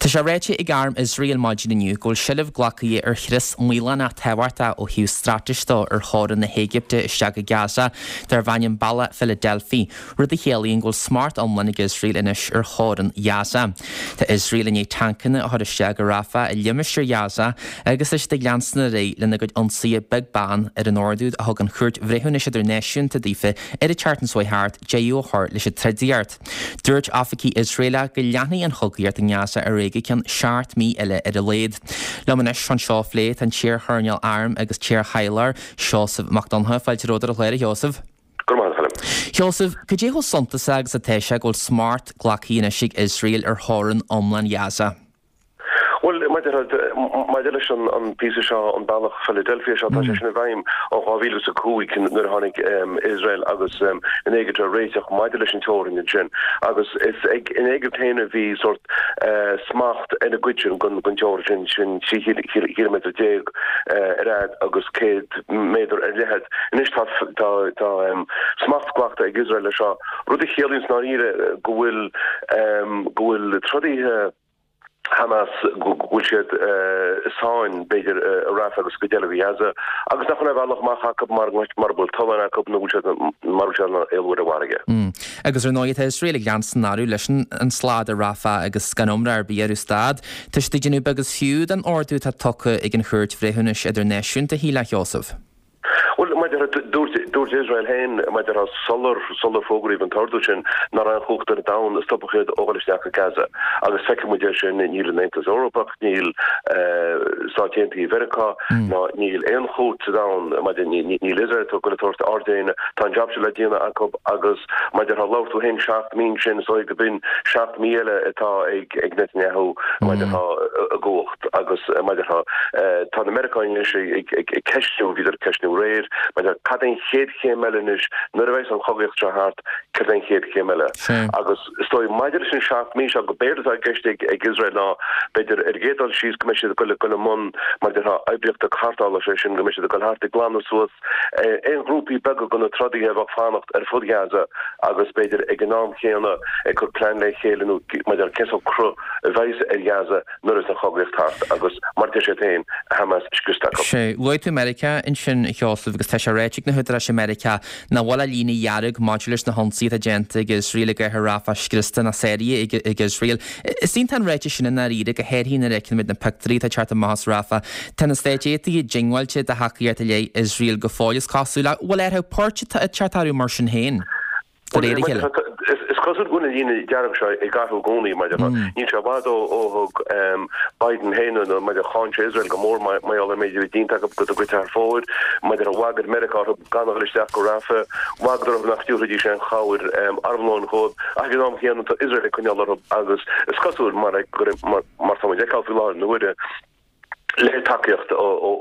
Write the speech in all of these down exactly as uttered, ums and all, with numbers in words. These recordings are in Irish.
Tá sé ráite ag arm Iosrael maidin inniu go bhfuil seilbh glactha ar chrios maolánach tábhachtach ó thaobh straitéis de ar theorainn na hÉigipte isteach i Gaza darb ainm Bealach Philadelphi, rud a chiallaíonn go bhfuil smacht iomlán ag Iosrael anois ar theorainn Ghaza. Tá Iosrael i ndiaidh tancanna a chur isteach i Rafah i limistéar Ghaza agus tá siad ag leanstan ar aghaidh lena gcuid ionsaithe beag beann ar an ordú a thug an Chúirt Bhreithiúnais Idirnáisiúnta daofa ar an tseachtain seo thart deireadh a chur leis an trodaíocht. Dúirt oifigigh Iosraelacha go leanfaidh an chogaíocht i nGaza ar aghaidh go ceann seacht mí eile ar a laghad. Liom anois anseo a phlé tá an t-iar-choirnéal airm agus t-iar-thaidhleoir Seosamh Mac Donncha. Fáilte romhat ar an chlár, a Sheosaimh. Go raibh maith agat, a Choilm. Sheosaimh, cad é chomh suntasach agus atá sé go bhfuil smacht glactha anois ag Iosrael ar theorainn iomlán Ghaza? Bhuel, maidir maidir leis an an píosa seo, an bealach Philadelphia seo, tá sé sin i bhfeidhm ó dhá mhíle is a cúig nuair a tháinig Iosrael agus an Éigipt ar réiteach maidir leis an teorainn ansin agus is ag an Éigipt féin a bhí sórt smacht ar an gcuid sin den den teorainn sin, sin trí chíliméadar déag ar fhad agus céad méadar ar leithead. Anois tá tá tá smacht glactha ag Iosrael leis seo, rud a chiallaíonn i ndáiríre go bhfuil go bhfuil trodaithe Hamas, go bhfuil siad i sáinn, b'fhéidir, i Rafah agus cuid eile de Ghaza, agus nach bhfuil aon bhealach amach acu mura bhfuil tolláin acu nó bhfuil siad mura bhfuil siad in ann éalú ar an bhfarraige. Agus ar ndóigh tá Iosrael ag leanstan orthu leis an slad i Rafah agus gan iomrá ar bith orthu stad. Tá siad ag déanamh beag is fiú den ordú atá tugtha ag an Chúirt Bhreithiúnais Idirnáisiúnta, shílfeá, a Sheosaimh. Bhuel, mar a déarfá, dúirt, dúirt Iosrael féin, mar a déarfá, sular, sular fógraíodh an t-ordú sin, nach raibh aon chumhacht ar domhan a stopfadh iad ó dhul isteach go Gaza. Agus feicfidh muid é sin, níl an Aontas Eorpach, níl Stáit Aontaithe Mheiriceá, ná níl aon chúirt sa domhan, mar a déarfá, níl Iosrael ag dul ag tabhairt aird d'éinne. Tá an jab seo le déanamh acu agus, mar a déarfá, labhair tú féin seacht mí ansin, is dóigh go b'in seacht mí eile atá ag, ag Netanyahu, mar a déarfá, i gcumhacht. Agus mar a déarfá, tá na Meiriceánaigh anois ag ceistiú, bhíodar ag ceistiú aréir, mar a déarfá, cad é an chéad chéim eile anois, nuair a bheas an chogaíocht seo thart, céard é an chéad chéim eile? Agus is dóigh, maidir leis an seacht mí seo, go b'éard atá i gceist ag Iosrael ná, b'fhéidir, ar an gcéad dul síos, go mbeidh siad ag dul i mbun, mar a déarfá, oibríochta cartála, sé sin, go mbeidh siad ag dul thart ag glanadh suas aon ghrúpaí beaga de na trodaithe a bheadh ag fanacht ar fud Ghaza agus, b'fhéidir, ag an am chéanna, ag cur plean le chéile nó, mar a déarfá, cén sórt cruth a bheas ar Ghaza. nuair a bheas an chogaíocht thart agus, mar a deir siad féin, Hamas scriosta acu. Sea, luaigh tú Meiriceá ansin, a Sheosaimh, agus tá sé ráite ag na húdaráis i Meiriceá nach bhfuil ach líne dhearg maidir leis na hionsaithe atá déanta ag Iosrael i gcathair Rafah scriosta ná sáraithe ag Iosrael. Is iontach an ráiteas sin i ndáiríre, go háirithe nuair a fheiceann muid na pictiúirí atá ag teacht amach as Rafah. Tá na Stáit Aontaithe diongbháilte do thacaíocht i leith Iosrael go fóill, is cosúil. Ach bhfuil athrú poirt ag teacht orthu mar sin féin? De réir a chéile. Is cosúil go bhfuil an líne dearg seo ag athrú i gcónaí, mar a déarfá. Níl sé i bhfad ó thug Biden féin, nó mar a déarfá, cháin sé Iosrael go mór mar gheall ar an méid a bhí déanta acu do chuid thar fóir. Mar a déarfá, bhagair Meiriceá orthu gan a dhul isteach go Rafah. Bhagair orthu nach dtabharfaidís aon chabhair armlóin dhóibh. Ach ag an am chéanna tá Iosrael ag coinneáil orthu agus is cosúil, mar mar tá muid ag feiceáil faoi láthair na huaire, le tacaíocht ó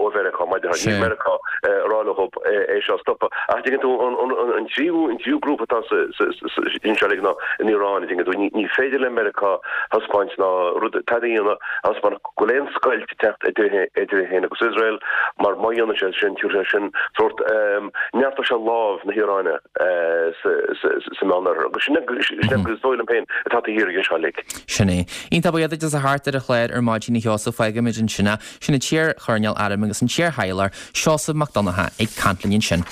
Mheiriceá, mar a déarfá, níl Meiriceá ag rá leo é seo a stopadh. Ach tuigeann tú, an tríú an tríú grúpa atá anseo uilig ná an Iaráin, tuigeann tú, ní féidir le Meiriceá thaispeáint ná rud tada a dhéanamh a thaispeánfadh go bhfuil aon scoilt ag teacht idir é féin agus Iosrael, mar má dhéanann sé sin, tabharfaidh sé sin sórt, neartóidh sé lámh na hIaráine sa Meánoirthear. Agus sin é, is dóigh liom féin, atá taobh thiar de seo uilig. Sin é. Iontach buíoch duit as a theacht ar an chlár ar maidin a Sheosaimh. Fágfaimid ansin é. Sin an t-iar-choirnéal airm agus an t-iar-thaidhleoir, Seosamh Mac Donncha, ag caint linn ansin.